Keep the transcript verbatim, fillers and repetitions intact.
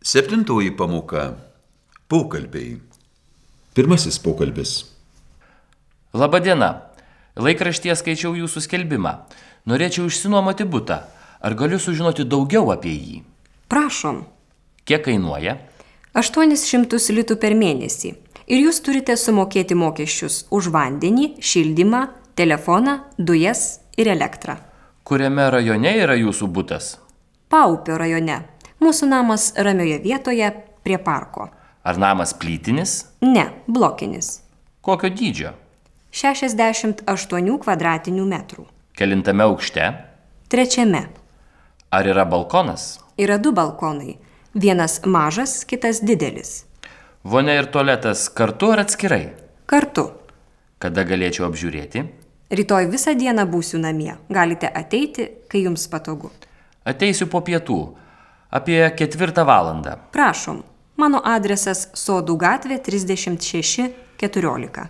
Septintoji pamoka – pokalbiai. Pirmasis pokalbis. Labadiena. Laikraštyje skaičiau jūsų skelbimą. Norėčiau išsinuomoti butą. Ar galiu sužinoti daugiau apie jį? Prašom. Kiek kainuoja? aštuonis šimtus litų per mėnesį. Ir jūs turite sumokėti mokesčius už vandenį, šildymą, telefoną, dujas ir elektrą. Kuriame rajone yra jūsų butas? Paupio rajone. Mūsų namas ramioje vietoje prie parko. Ar namas plytinis? Ne, blokinis. Kokio dydžio? šešiasdešimt aštuonių kvadratinių metrų. Kelintame aukšte? Trečiame. Ar yra balkonas? Yra du balkonai. Vienas mažas, kitas didelis. Vonia ir tualetas kartu ar atskirai? Kartu. Kada galėčiau apžiūrėti? Rytoj visą dieną būsiu namie. Galite ateiti, kai jums patogu. Ateisiu po pietų. Apie ketvirtą valandą. Prašom. Mano adresas Sodų gatvė trisdešimt šeši keturiolika.